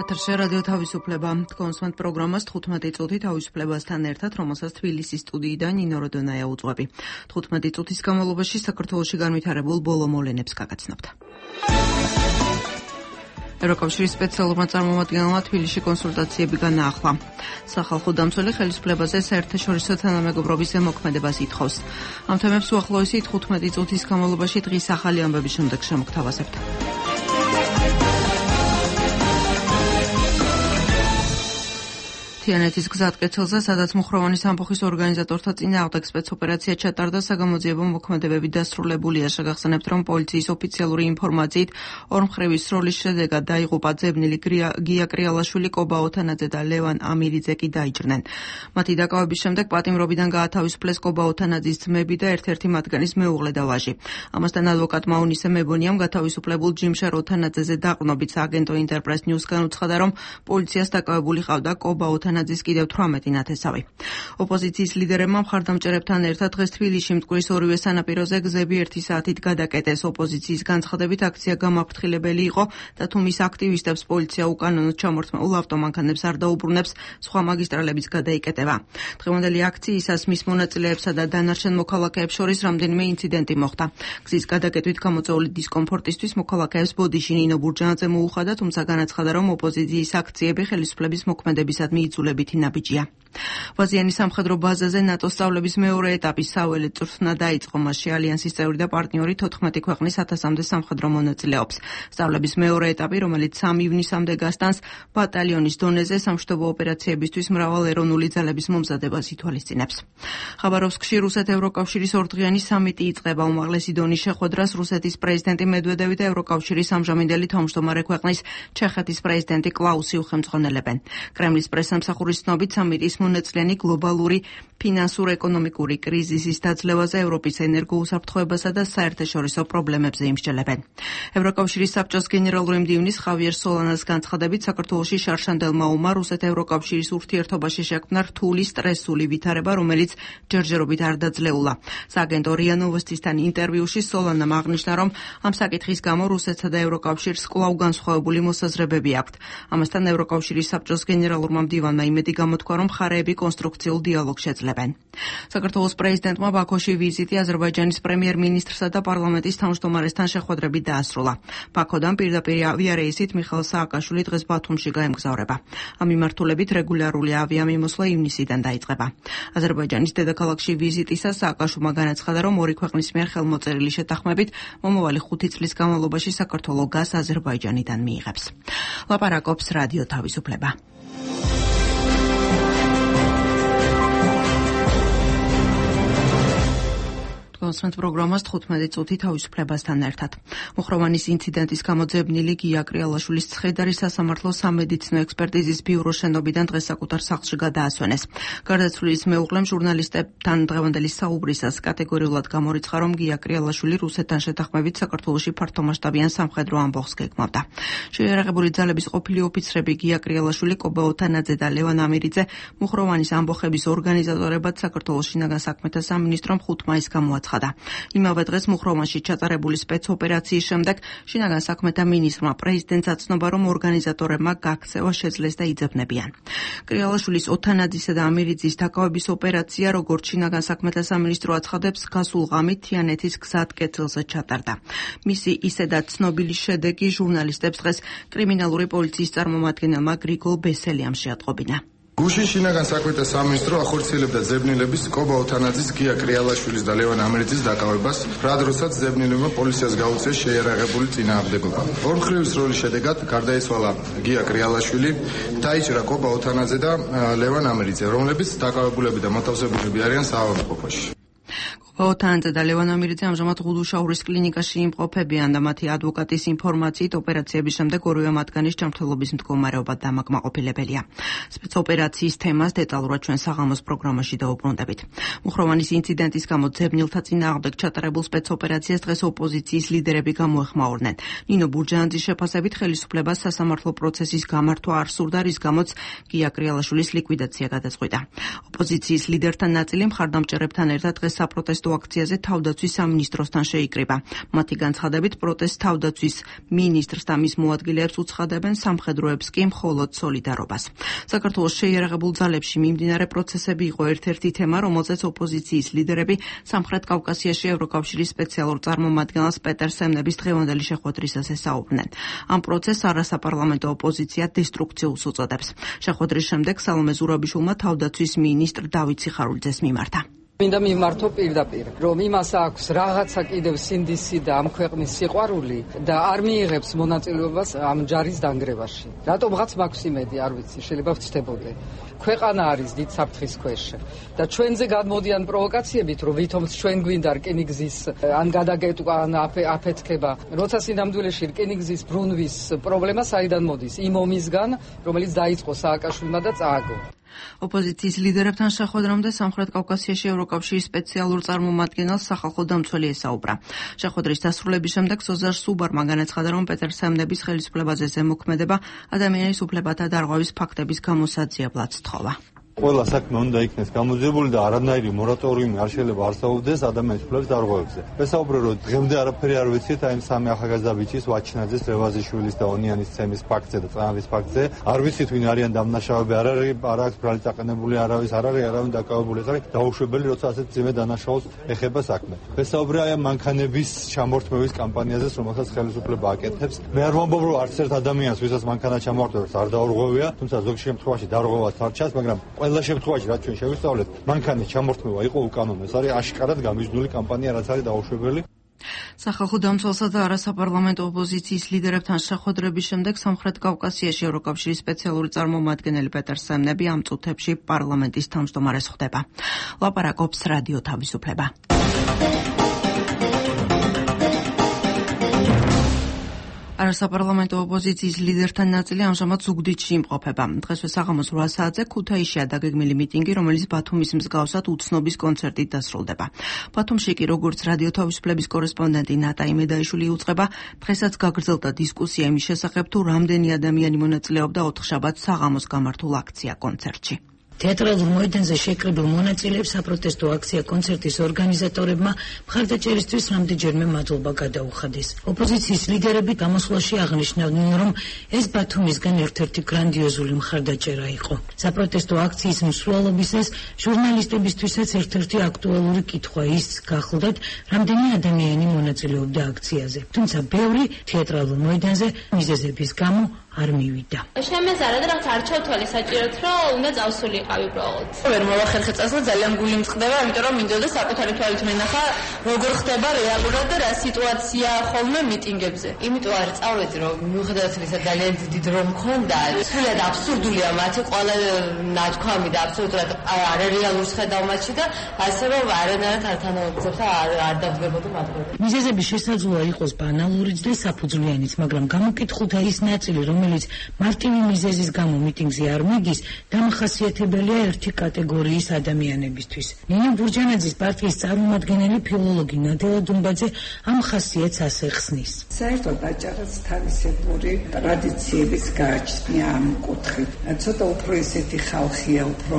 ეთერში რადიო თავისუფლება. კონსულტანტ პროგრამას 15 წუთი თავისუფლებასთან ერთად, რომელსაც თბილისის სტუდიიდან ნინო როდონაია უძღვები. 15 წუთის განმავლობაში საქართველოში განვითარებულ ბოლო მოვლენებს გაგაცნობთ. ევროკავშირის სპეციალურმა წარმომადგენელმა თბილისში კონსულტაციები განაახლა. სახალხო დამცველი ხელისუფლებაზე საერთაშორისო თანამეგობრობის ზემოქმედებას ითხოვს. ამ თემებს უახლოესი 15 წუთის განმავლობაში დღის ახალი ამბების შემდეგ შემოგთავაზებთ. თიანეთის გზატკეცილზე, სადაც მუხროვანის ამბოხის ორგანიზატორთა წინააღმდეგ სპეცოპერაცია ჩატარდა, საგამოძიებო მოქმედებები დასრულებულია. შეგახსენებთ, რომ პოლიციის ოფიციალური ინფორმაციით ორმხრივი სროლის შედეგად დაიღუპა ძებნილი გია კრიალაშვილი, კობა ოთანაძე და ლევან ამირიძე კი დაიჭრნენ. მათი დაკავების შემდეგ პატიმრობიდან გაათავისუფლეს კობა ოთანაძის ძმები და ერთ-ერთი მათგანის მეუღლე და ვაჟი. ამასთან ადვოკატმა უნისე მებონიამ გათავისუფლებულ ჯიმშარ ოთანაძეზე დაყრდნობით სააგენტო ინტერპრეს ნიუსგან უცხადა, რომ პოლიციას დაკავებული ყავდა კობა ოთანაძის კიდევ 18 ნათესავი. ოპოზიციის ლიდერებმა მხარდამჭერებთან ერთად დღეს თბილისში მტკვრის ორივე სანაპიროზე გზები 1 საათით გადაკეტეს. ოპოზიციის განცხადებით, აქცია გამაფრთხილებელი იყო და თუ მის აქტივისტებს პოლიცია უკანონოდ ჩამორთმეულ ავტომანქანებს არ დაუბრუნებს, სხვა მაგისტრალებიც გადაიკეტება. დღევანდელი აქციისას მის მონაწილეებსა და დანარჩენ მოქალაქეებს შორის რამდენიმე ინციდენტი მოხდა. გზის გადაკეტვით გამოწვეული დისკომფორტისთვის მოქალაქეებს ბოდიში ნინო ბურჯანაძე მოუხადა, თუმცა განაცხადა, რომ ოპოზიციის აქციები ხელისუფლების მოქმედებისადმი იძულებითი ნაბიჯია. ვაზიანის სამხედრო ბაზაზე ნატოს სწავლების მეორე ეტაპის საველე წვრთნა დაიწყო. მასში ალიანსის წევრი და პარტნიორი 14 ქვეყნის 1000-მდე სამხედრო მონაწილეობს. სწავლების მეორე ეტაპი, რომელიც 3 ივნისამდე გასტანს, ბატალიონის დონეზე სამშვიდობო ოპერაციებისთვის მრავალეროვნული ძალების მომზადებას ითვალისწინებს. ხაბაროვსკში რუსეთ-ევროკავშირის ორდღიანი სამიტი იწყება. უმაღლესი დონის შეხვედრას რუსეთის პრეზიდენტი მედვედევი და ევროკავშირის ამჟამინდელი თავმჯდომარე ქვეყნის ჩეხეთის პრეზიდენტი კლაუსი უხელმძღვანელებენ. კრემლის პრესამსახურის ცნობით, სამიტის მონაწილენი გლობალური ფინანსურ-ეკონომიკური კრიზისის დაძლევაზე, ევროპის ენერგოუსაფრთხოებასა და საერთაშორისო პრობლემებზე იმსჯელებენ. ევროკავშირის საბჭოს გენერალური მდივნის ხავიერ სოლანას განცხადებით, საქართველოში შარშანდელმა ომმა რუსეთ-ევროკავშირის ურთიერთობაში შექმნა რთული სტრესული ვითარება, რომელიც ჯერჯერობით არ დაძლეულა. სააგენტო რია ნოვოსტისთან ინტერვიუში სოლანამ აღნიშნა, რომ ამ საკითხის გამო რუსეთსა და ევროკავშირს კვლავ განსხვავებული მოსაზრებები აქვთ. ამასთან ევროკავშირის საბჭოს გენერალურმა მდივანმა იმედი გამოთქვა, რომ მხარეები კონსტრუქციულ დიალოგს შეძლებენ. საქართველოს პრეზიდენტმა ბაქოში ვიზიტი აზერბაიჯანის პრემიერ-მინისტრსა და პარლამენტის თავმჯდომარესთან შეხვედრებით დაასრულა. ბაქოდან პირდაპირ ავიარეისით მიხეილ სააკაშვილი დღეს ბათუმში გაემგზავრება. ამ მიმართულებით რეგულარული ავიამიმოსვლა ივნისიდან დაიწყება. აზერბაიჯანის დედაქალაქში ვიზიტისას სააკაშვილმა განაცხადა, რომ ორი ქვეყნის მიერ ხელმოწერილი შეთანხმებით მომავალი 5 წლის განმავლობაში საქართველო გაზს აზერბაიჯანიდან მიიღებს. ლაპარაკობს რადიო თავისუფლება. კონსულტანტ პროგრამას 15 წუთი თავისუფლებასთან ერთად. მუხროვანის ინციდენტის გამო ძებნილი გია კრიალაშვილის ცხედარი სასამართლო სამედიცინო ექსპერტიზის ბიუროს შენობიდან დღეს საკუთარ სახლში გადაასვენეს. გარდაცვლილის მეუღლემ ჟურნალისტებთან დღევანდელი საუბრისას კატეგორიულად გამორიცხა, რომ გია კრიალაშვილი რუსეთთან შეთანხმებით საქართველოში ფართომასშტაბიან სამხედრო ამბოხს გეგმავდა. შეიარაღებული ძალების ყოფილი ოფიცრები გია კრიალაშვილი, კობა ოთანაძე და ლევან ამირიძე მუხროვანის ამბოხების ორგანიზატორებად საქართველოს შინაგან საქმეთა სამინისტრომ 5 მაისს გამოაცხადა. იმავე დღეს მუხროვანში ჩატარებული სპეცოპერაციის შემდეგ შინაგან საქმეთა მინისტრმა პრეზიდენტს აცნობა, რომ ორგანიზატორებმა გაქცევა შეძლეს და იძებნებიან. კრიალაშვილის, ოთანაძისა და ამირიძის დაკავების ოპერაცია, როგორც შინაგან საქმეთა სამინისტრო აცხადებს, გასულ ღამით თიანეთის გზატკეცილზე ჩატარდა. მისი ისედაც ცნობილი შედეგი ჟურნალისტებს დღეს კრიმინალური პოლიციის წარმომადგენელმა გრიგოლ ბესელიამ შეატყობინა. გუშინ შინაგან საქმეთა სამინისტრო ახორციელებდა ძებნილების კობა ოთანაძის, გია კრიალაშვილის და ლევან ამირიძის დაკავებას, რა დროსაც ძებნილებმა პოლიციას გაუწიეს შეიარაღებული წინააღმდეგობა. ორმხრივი სროლის შედეგად გარდაიცვალა გია კრიალაშვილი, დაიჭრა კობა ოთანაძე და ლევან ამირიძე, რომლებიც დაკავებულები და მოთავსებულები არიან საავადმყოფოში. ოთანაძე და ლევან ამირიძე ამჟამად ღუდუშაურის კლინიკაში იმყოფებიან და მათი ადვოკატის ინფორმაციით ოპერაციების შემდეგ ორივე მათგანის ჯანმრთელობის მდგომარეობა დამაკმაყოფილებელია. სპეცოპერაციის თემას დეტალურად ჩვენ საღამოს პროგრამაში დაუბრუნდებით. მუხროვანის ინციდენტის გამო ძებნილთა წინააღმდეგ ჩატარებულ სპეცოპერაციას დღეს ოპოზიციის ლიდერები გამოეხმაურნენ. ნინო ბურჯანაძის შეფასებით ხელისუფლებას სასამართლო პროცესის გამართვა არ სურდა, რის გამოც გია კრიალაშვილის ლიკვიდაცია გადაწყვიტა. ოპოზიციის ლიდერთა ნაწილი მხარდამჭერებთან ერთად დღეს საპროტესტო აქციაზე თავდაცვის სამინისტროსთან შეიკრიბა. მათი განცხადებით პროტესტს თავდაცვის მინისტრს და მის მოადგილეებს უცხადებენ, სამხედროებს კი მხოლოდ სოლიდარობას. საქართველოს შეიარაღებულ ძალებში მიმდინარე პროცესები იყო ერთ-ერთი თემა, რომელზეც ოპოზიციის ლიდერები სამხრეთ კავკასიაში ევროკავშირის სპეციალურ წარმომადგენელს პეტერ სემნების დღევანდელი შეხვედრისას ესაუბრნენ. ამ პროცესს არასაპარლამენტო ოპოზიცია დესტრუქციულს უწოდებს. შეხვედრის შემდეგ სალომე ზურაბიშვილმა თავდაცვის მინისტრ დავით სიხარულიძეს მიმართა. მინდა მიმართო პირდაპირ, რომ იმას აქვს რაღაცა კიდევ სინდისი და ამ ქვეყნის სიყვარული და არ მიიღებს მონაწილეობას ამ ჯარის დანგრევაში. რატომღაც მაქვს იმედი, არ ვიცი, შეიძლება ვცდებოდე. ქვეყანა არის დიდ საფრთხის ქვეშ და ჩვენზე გადმოდიან პროვოკაციებით, რომ ვითომც ჩვენ გვინდა რკინიგზის ან გადაგეტყვა ან აფეთქება. როცა სინამდვილეში რკინიგზის ბრუნვის პრობლემა საიდან მოდის? იმ ომისგან, რომელიც დაიწყო სააკაშვილმა და წააგო. ოპოზიციის ლიდერებთან შეხვედრამდე სამხრეთ კავკასიაში ევროკავშირის სპეციალურ წარმომადგენელს სახალხო დამცველი ესაუბრა. შეხვედრის დასრულების შემდეგ სოზარ სუბარმა განაცხადა, რომ პეტერ სემნების ხელისუფლებაზე ზემოქმედება ადამიანის უფლებათა დარღვევის ფაქტების გამოსაძიებლად სთხოვა. ყველა საქმე უნდა იქნეს გამოძიებული და არანაირი მორატორიუმი არ შეიძლება არსებობდეს ადამიანის უფლების დარღვევებზე. ვესაუბრე, რომ დღემდე არაფერი არ ვიცით აი სამი ახალგაზრდა ბიჭის, ვაჩინაძის, რევაზიშვილის და ონიანის ცემის ფაქტზე და წამების ფაქტზე. არ ვიცით ვინ არიან დამნაშავეები, არ აქვს ბრალი წაყენებული არავის, არ არის არავინ დაკავებული, ეს არის დაუშვებელი, როცა ასეთ ძიმე დანაშაულს ეხება საქმე. ვესაუბრე აი მანქანების ჩამორთმევის კამპანიაზეც, რომელსაც ხელისუფლება აკეთებს. მე არ ვამბობ, რომ არც ერთ ადამიანს, ვისაც მანქანა ჩამორთმევს, არ დაურღვევია, თუმცა ზოგ შემთხვევაში დარღვევას არ ჩანს, მაგრამ ყველა შემთხვევაში რაც ჩვენ შევისწავლეთ, მანქანის ჩამორთმევა იყო უკანონო. ეს არის აშკარად გამიზნული კამპანია, რაც არის დაუშვებელი. სახალხო დამცველსა და არასაპარლამენტო ოპოზიციის ლიდერებთან შეხვედრების შემდეგ სამხრეთ კავკასიაში ევროკავშირის სპეციალური წარმომადგენელი პეტერ სემნები ამ წუთებში პარლამენტის თავმჯდომარეს ხვდება. ლაპარაკობს რადიო თავისუფლება. არასაპარლამენტო ოპოზიციის ლიდერთა ნაწილი ამჟამად ზუგდიდში იმყოფება. დღესვე საღამოს 8 საათზე ქუთაისშია დაგეგმილი მიტინგი, რომელიც ბათუმის მსგავსად უცნობის კონცერტით დასრულდება. ბათუმში კი, როგორც რადიო თავისუფლების კორესპონდენტი ნატა იმედაიშვილი იუწყება, დღესაც გაგრძელდა დისკუსია იმის შესახებ, თუ რამდენი ადამიანი მონაწილეობდა ოთხშაბათს საღამოს გამართულ აქცია-კონცერტში. თეატრალურ მოედანზე შეკრებილ მონაწილეებს საპროტესტო აქცია-კონცერტის ორგანიზატორებმა მხარდაჭერისთვის რამდენჯერმე მადლობა გადაუხადეს. ოპოზიციის ლიდერები გამოსვლაში აღნიშნავდნენ, რომ ეს ბათუმისგან ერთ-ერთი გრანდიოზული მხარდაჭერა იყო. საპროტესტო აქციის მსვლელობისას ჟურნალისტებისთვისაც ერთ-ერთი აქტუალური კითხვა ის გახლდათ, რამდენი ადამიანი მონაწილეობდა აქციაზე. თუმცა ბევრი თეატრალურ მოედანზე მიზეზების გამო არ მივიდა. შემეზარა და რაღაც არ ჩავთვალე საჭიროდ, რომ უნდა წავსულიყავი უბრალოდ. ვერ მოვახერხე წასვლა, ძალიან გული მწყდება, იმიტომ რომ მინდოდა საკუთარი თვალით მენახა, როგორ ხდება რეალურად და რა სიტუაცია ხოლმე მიტინგებზე. იმიტომ არ წავედი, რომ მიუხედავად იმისა, ძალიან დიდი დრო მქონდა, სულად აბსურდულია მათი ყველა ნათქვამი და აბსოლუტურად არარეალურს ხედავ მათში და ასე რომ არანაირად არ თანაუგრძნობს და არ დავდგებოდი მათგან. მიზეზები შესაძლოა იყოს ბანალურიც და საფუძვლიანიც, მაგრამ გამოკითხულთა ის ნაწილი, რომელიც მარტივი მიზეზის გამო მიტინგზე არ მიდის, დამახასიათებელია ერთი კატეგორიის ადამიანებისთვის. ნინო ბურჯანაძის პარტიის წარმომადგენელი ფილოლოგი ნადელა დუმბაძე ამ ხასიათს ასე ხსნის. საერთოდ აჭარას თავისებური ტრადიციების გააჩნია ამ კუთხით. ცოტა უფრო ისეთი ხალხია, უფრო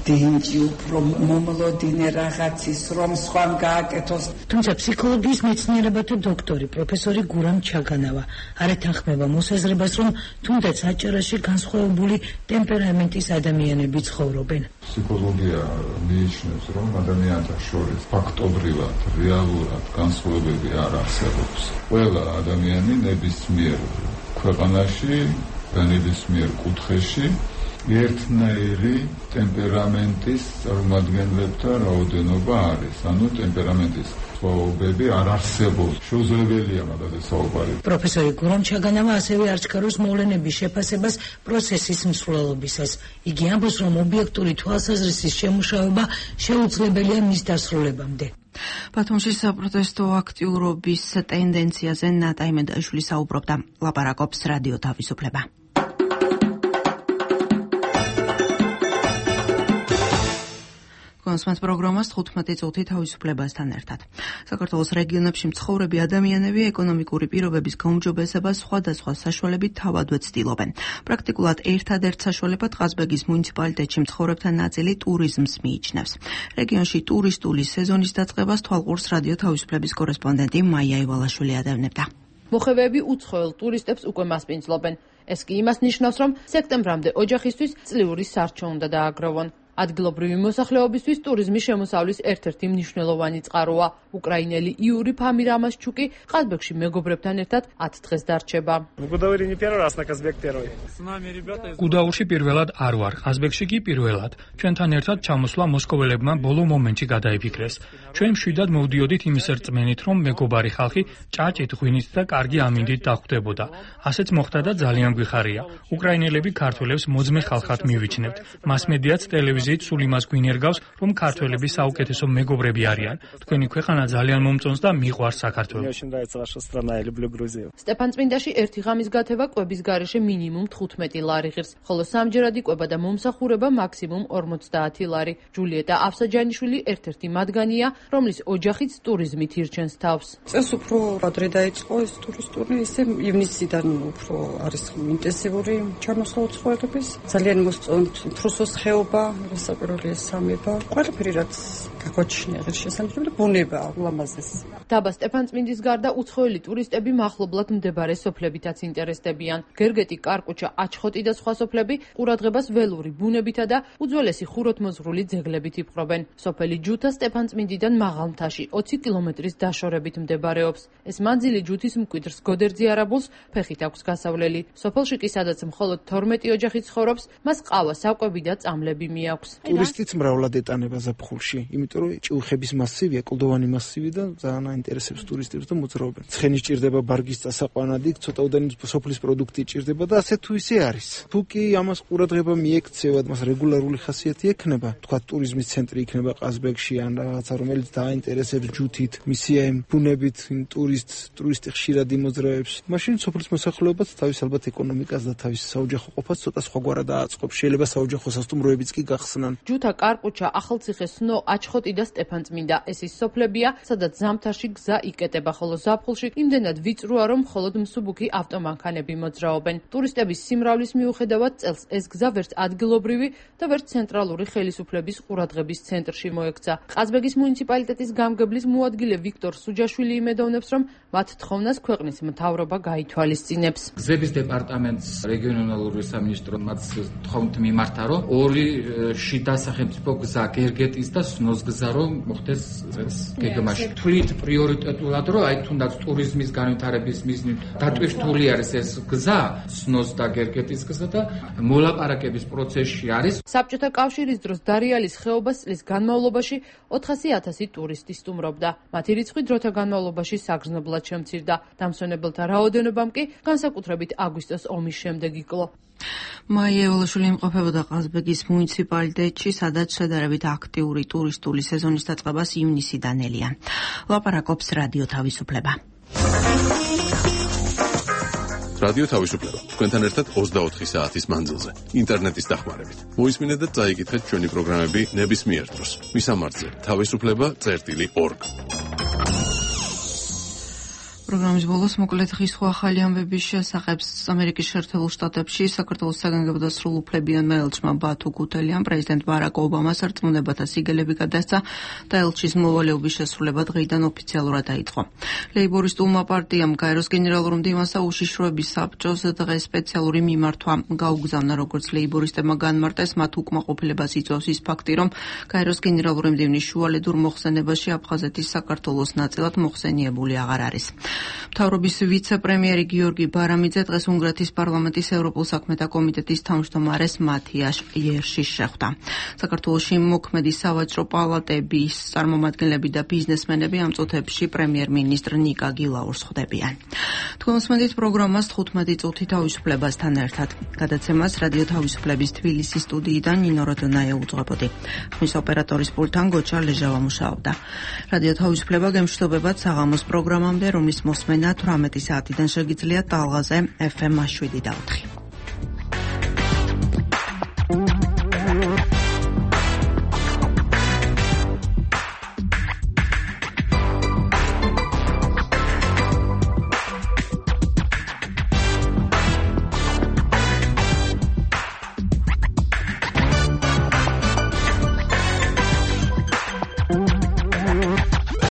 დინჯი, უფრო მომლოდინე რაღაცის, რომ სხვამ გააკეთოს. თუმცა ფსიქოლოგიის მეცნიერებათა დოქტორი პროფესორი გურამ ჩაგანავა არ ეთანხმება მოსაზრებას, რომ თუნდაც აჭარაში განსხვავებული ტემპერამენტის ადამიანები ცხოვრობენ. ფსიქოლოგია მიიჩნევს, რომ ადამიანთა შორის ფაქტობრივად, რეალურად განსხვავებები არ არსებობს. ყველა ადამიანი ნებისმიერ ქვეყანაში და ნებისმიერ კუთხეში ერთნაირი ტემპერამენტის წარმომადგენლებთა რაოდენობა არის. ანუ ტემპერამენტის სხვაობები არ არსებობს. შეუძლებელია მაგაზე საუბარი. პროფესორი გურამ ჩაგანავა ასევე არჩქაროს მოვლენების შეფასებას პროცესის მსვლელობისას. იგი ამბობს, რომ ობიექტური თვალსაზრისის შემუშავება შეუძლებელია მის დასრულებამდე. ბათუმში საპროტესტო აქტიურობის ტენდენციაზე ნატა იმედაიშვილი საუბრობდა. ლაპარაკობს რადიო თავისუფლება. თქვენს პროგრამას 15 წუთი თავისუფლებასთან ერთად. საქართველოს რეგიონებში მცხოვრები ადამიანები ეკონომიკური პირობების გაუმჯობესებას სხვადასხვა საშუალებით თავადვე ცდილობენ. პრაქტიკულად ერთადერთ საშუალებად ყაზბეგის მუნიციპალიტეტში მცხოვრებთა ნაწილი ტურიზმს მიიჩნევს. რეგიონში ტურისტული სეზონის დაწყებას თვალყურს რადიო თავისუფლების კორესპონდენტი მაია ივალაშვილი ადევნებდა. მოხევეები უცხოელ ტურისტებს უკვე მასპინძლობენ. ეს კი იმას ნიშნავს, რომ სექტემბრამდე ოჯახისთვის წლიური სარჩო უნდა დააგროვონ. ადგილობრივი მოსახლეობისთვის ტურიზმის შემოსავლის ერთ-ერთი მნიშვნელოვანი წყაროა. უკრაინელი იური ფამირამასჩუკი ყაზბეგში მეგობრებთან ერთად 10 დღეს დარჩება. გუდაურში პირველად არ ვარ, ყაზბეგში კი პირველად. ჩვენთან ერთად ჩამოსვლა მოსკოველებმა ბოლო მომენტში გადაიფიქრეს. ჩვენ მშვიდად მოვდიოდით იმის რწმენით, რომ მეგობარი ხალხი ჭაჭით, ღვინით და კარგი ამინდით დახვდებოდა. ასეც მოხდა და ძალიან გვიხარია. უკრაინელები ქართველებს მოძმე ხალხად მივიჩნევთ. მასმედიაც ტელევიზიით სულ იმას გვინერგავს, რომ ქართველები საუკეთესო მეგობრები არიან. თქვენი ქვეყანა ძალიან მომწონს და მიყვარს საქართველო. სტეფანწმინდაში ერთი ღამის გათევა კვების გარეშე მინიმუმ 15 ლარი ღირს, ხოლო სამჯერადი კვება და მომსახურება მაქსიმუმ 50 ლარი. ჯულიეტა აფსაჯანიშვილი ერთ-ერთი მათგანია, რომლის ოჯახიც ტურიზმით ირჩენს თავს. წელს უფრო ადრე დაიწყო ეს ტურისტული, ისე ივნისიდან უფრო არის ინტენსიური ჩამოსვლა უცხოელების. ძალიან მოსწონთ უფროსოს ხეობა, სასაპიროელი სამება, ყველაფერი რაც გაგვაჩნია ღირსშესანიშნავი და ბუნება ულამაზეს. დაბა სტეფანწმინდის გარდა უცხოელი ტურისტები მახლობლად მდებარე სოფლებითაც ინტერესდებიან. გერგეტი, კარკუჩა, აჩხოტი და სხვა სოფლები ყურადღებას ველური ბუნებითა და უძველესი ხუროთმოძღვრული ძეგლებით იპყრობენ. სოფელი ჯუთა სტეფანწმინდიდან მაღალ მთაში 20 კილომეტრის დაშორებით მდებარეობს. ეს მანძილი ჯუთის მკვიდრს გოდერძი არაბულს ფეხით აქვს გასავლელი. სოფელში კი სადაც მხოლოდ 12 ოჯახი ცხოვრობს, მას ყავა, საკვები და წამლები მიაქვს. ტურისტიც მრავლად ეტანება ზაფხულში, იმიტომ რომ ჭიუხების მასივია, კლდოვანი მასივი და ძალიან აინტერესებს ტურისტებს და მოძრაობენ. ცხენი ჭირდება ბარგის წასაყვანადი, ცოტაოდენი სოფლის პროდუქტი ჭირდება და ასე თუ ისე არის. თუ კი ამას ყურადღება მიექცევა, მას რეგულარული ხასიათი ექნება, თქვა ტურიზმის ცენტრი იქნება ყაზბეგში ან რაღაცა, რომელიც დააინტერესებს ჯუთით, მისია იმ ბუნებით, იმ ტურისტი ხშირად იმოძრაებს. მაშინ სოფლის მოსახლეობაც თავის ალბათ ეკონომიკას და თავის საოჯახო ყოფას ცოტა სხვაგვარად აწყობს. შეიძლება საოჯახო სასტუმროებიც კი გახსნან. ჯუთა, კარკუჩა, ახალციხე, სნო, აჩხოტი და სტეფანწმინდა ეს ის სოფლებია, სადაც ზამთარში გზა იკეტება, ხოლო ზაფხულში იმდენად ვიწროა, რომ მხოლოდ მსუბუქი ავტომანქანები მოძრაობენ. ტურისტების სიმრავლის მიუხედავად წელს ეს გზა ვერც ადგილობრივი და ვერც ცენტრალური ხელისუფლების ყურადღების ცენტრში მოექცა. ყაზბეგის მუნიციპალიტეტის გამგებლის მოადგილე ვიქტორ სუჯაშვილი იმედოვნებს, რომ მათ თხოვნას ქვეყნის მთავრობა გაითვალისწინებს. გზების დეპარტამენტს რეგიონალური სამინისტრო მათ თხოვნით მიმართა, რომ ორი შიდა სახელმწიფო გზა გერგეტის და სნოს გზა რომ მოხდეს წელს გეგმაში. თვლით პრიორიტეტულად, რომ აი თუნდაც ტურიზმის განვითარების მიზნით დატვირთული არის ეს გზა, სნოს და გერგეტის გზა და მოლაპარაკების პროცესში არის. საბჭოთა კავშირის დროს დარიალის ხეობას წლის განმავლობაში 400,000 ტურისტი სტუმრობდა. მათი რიცხვი დროთა განმავლობაში საგრძნობლად შემცირდა. დამსვენებელთა რაოდენობამ კი განსაკუთრებით აგვისტოს ომის შემდეგ იკლო. მაია ივალაშვილი იმყოფებოდა ყაზბეგის მუნიციპალიტეტში, სადაც შედარებით აქტიური ტურისტული სეზონის დაწყებას ივნისიდან ელია. ლაპარაკობს რადიო თავისუფლება. რადიო თავისუფლება. თქვენთან ერთად 24 საათის მანძილზე. ინტერნეტის დახმარებით. მოისმინეთ და წაიკითხეთ ჩვენი პროგრამები ნებისმიერ დროს. მისამართზე თავისუფლება.org. პროგრამის ბოლოს მოკლედ ხისხო ახალი ამბების შესახებ ამერიკის შეერთებულ შტატებში საქართველოს საგანგებო და სრულუფლებიანმა ელჩმა ბათუ გუთელიამ პრეზიდენტ ბარაკ ობამას რწმუნებათა სიგელები გადასცა და ელჩის მოვალეობის შესრულება დღეიდან ოფიციალურად დაიწყო. ლეიბორისტულმა პარტიამ გაეროს გენერალურ მდივანსა უშიშროების საბჭოს დღეს სპეციალური მიმართვა გაუგზავნა, როგორც ლეიბორისტებმა განმარტეს, მათ უკმაყოფილებას იწვევს ის ფაქტი, რომ გაეროს გენერალური მდივნის შუალედურ მოხსენებაში აფხაზეთის საქართველოს ნაწილად მოხსენიებული აღარ არის. მთავრობის ვიცე-პრემიერი გიორგი ბარამიძე დღეს უნგრეთის პარლამენტის ევროპულ საქმეთა კომიტეტის თავმჯდომარეს მათიაშ იერშის შეხვდა. საქართველოში მოქმედი სავაჭრო პალატების წარმომადგენლები და ბიზნესმენები ამ წუთებში პრემიერ-მინისტრ ნიკა გილაურს ხვდებიან. თქვენ მოსმენთ პროგრამას 15 წუთი თავისუფლებასთან ერთად. გადაცემას რადიო თავისუფლების თბილისის სტუდიიდან ნინო როდონაია უძღვებოდი. ხმის ოპერატორის პულტთან გოჩა ლეჟავა მუშაობდა. რადიო თავისუფლება გემშვიდობებად საღამოს პროგრამამდე, რომლის მოსმენა 18 საათიდან შეგიძლიათ ტალღაზე FM 7 და 4.